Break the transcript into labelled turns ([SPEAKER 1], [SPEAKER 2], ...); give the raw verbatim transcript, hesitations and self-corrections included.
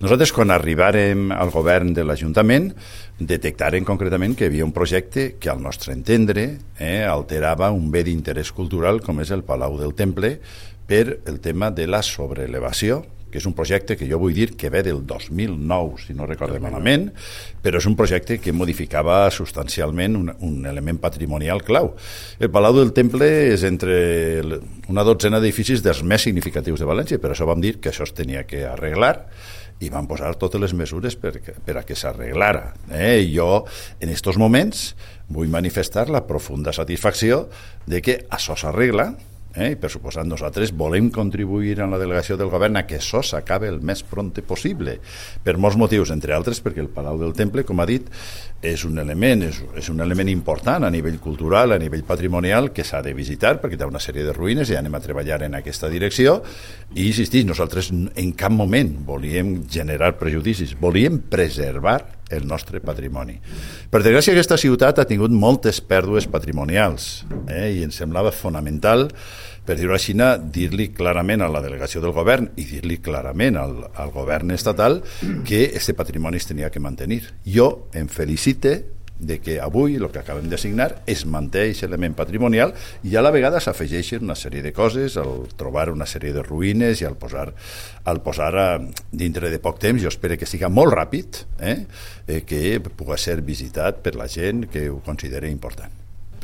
[SPEAKER 1] Nosaltres, quan arribàrem al govern de l'Ajuntament, detectàrem concretament que hi havia un projecte que, al nostre entendre, eh, alterava un bé d'interès cultural com és el Palau del Temple per el tema de la sobreelevació, que és un projecte que jo vull dir que ve del dos mil nou, si no recordo malament, però és un projecte que modificava substancialment un, un element patrimonial clau. El Palau del Temple és entre una dotzena d'edificis dels més significatius de València, per això vam dir que això es tenia que arreglar i van posar totes les mesures per, per a que s'arreglara. Eh? Jo, en aquests moments, vull manifestar la profunda satisfacció de que això s'arregla. Eh? I per suposat nosaltres volem contribuir en la delegació del govern a que això s'acabe el més prompte possible, per molts motius, entre altres perquè el Palau del Temple, com ha dit, és un element, és, és un element important a nivell cultural, a nivell patrimonial, que s'ha de visitar perquè té una sèrie de ruïnes i anem a treballar en aquesta direcció. I insistir, nosaltres en cap moment volíem generar prejudicis, volíem preservar el nostre patrimoni. Per desgràcia, aquesta ciutat ha tingut moltes pèrdues patrimonials, eh? I ens semblava fonamental, per dir-ho així, dir-li clarament a la delegació del govern i dir-li clarament al, al govern estatal que aquest patrimoni es tenia que mantenir. Jo em felicite de que avui el que acabem de signar es manté aquest element patrimonial i a la vegada s'afegeixen una sèrie de coses al trobar una sèrie de ruïnes i al posar, al posar a, dintre de poc temps, jo espero que siga molt ràpid, eh, eh, que pugui ser visitat per la gent que ho consideri important.